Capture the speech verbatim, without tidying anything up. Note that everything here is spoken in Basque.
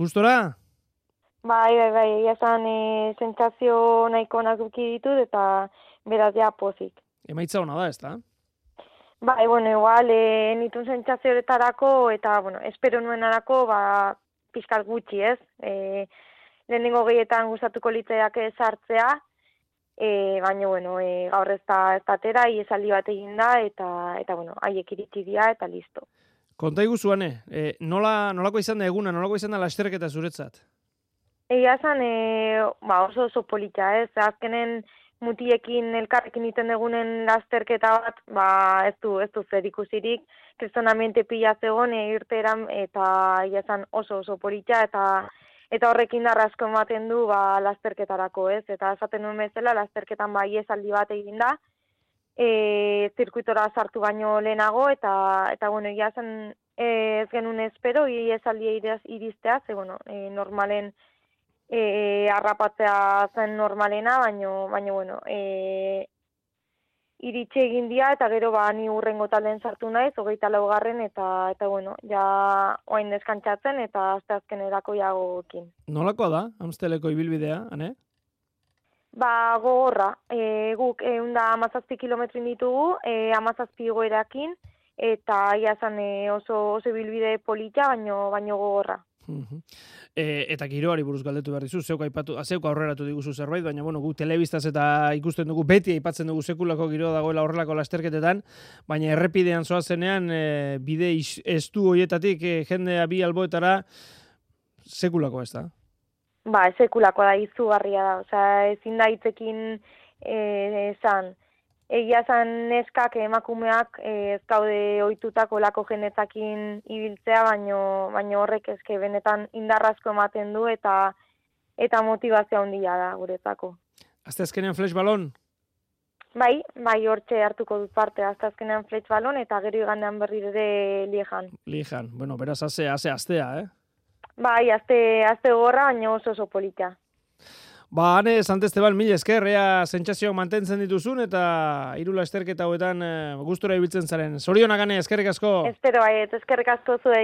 Gustora? Bai, bai, bai, egia esan e, sentsazio nahiko nazuki ditut eta beraz ja pozik. Emaitza ona da, ezta? Bai, bueno, igual, e, nitun sentsazio horretarako eta, bueno, espero nuenarako, ba, pixkat gutxi, ez? E, lehenengo gehietan gustatuko litzaiake sartzea, e, baina, bueno, e, gaur ez da ez da atera, iesaldi bat egin da, eta, eta bueno, haiek iritsi dira, eta listo. Konta iguzuane, e, nola, nolako izan da eguna, nolako izan da lasterketa zuretzat? Egia esan, e, ba, oso oso polita, ez? Azkenen mutiekin elkarrekin iten egunen lasterketa bat, ba, ez du, ez du zer ikusirik, kristonamente pila zegoen e, irteran, eta egia esan oso oso polita, eta eta horrekin darrasko ematen du ba, lasterketarako, ez? Eta esaten nuen bezala, lasterketan ba, iesaldi bat egin da, e, zirkuitora sartu baino lehenago, eta, eta bueno, egia zen e, ez genuen espero, iesaldia iristea, ze, bueno, e, normalen e, arrapatzea zen normalena, baino, baino bueno, e, iritsi egin dira, eta gero ba, ni urrengo talden sartu naiz, hogeita laugarren, eta, eta bueno, ja oain deskantzatzen, eta azte azkenerako jagoekin. Nolakoa da, Amsteleko ibilbidea, ane? Ba, gogorra, e, guk egun da amazazpi kilometrin ditugu, e, amazazpi goerakin, eta ia zan e, oso, oso bilbide polita, baino, baino gogorra. E, eta giroari buruz galdetu behar dizu, zeuk aipatu, zeuk aurreratu diguzu zerbait, baina bueno, guk telebistaz eta ikusten dugu, beti aipatzen dugu sekulako giroa dagoela horrelako lasterketetan, baina errepidean zoazenean, e, bide estu hoietatik e, jendea bi alboetara, sekulako ez da? Ba, sekulakoa da, izugarria da, osea, ezin da hitzekin esan. Egia zan neskak emakumeak ez gaude ohitutako lako jenetakin ibiltzea, baino, baino horrek eske benetan indarrazko ematen du eta eta motivazio handia da guretzako. Azte azkenean flash balon? Bai, bai hortxe hartuko dut parte, azte azkenean flash balon eta gero igandean berri ere Liejan. Liejan, bueno, beraz haze, haze astea, eh? Bai, azte, azte gorra, baina oso oso polita. Ba, hane, Sant Esteban, mila esker, ea sentsazioak mantentzen dituzun, eta hiru lasterketa hauetan e, gustura ibiltzen zaren. Zorionak, Ane, eskerrik asko. Espero, bai, eskerrik asko zuei.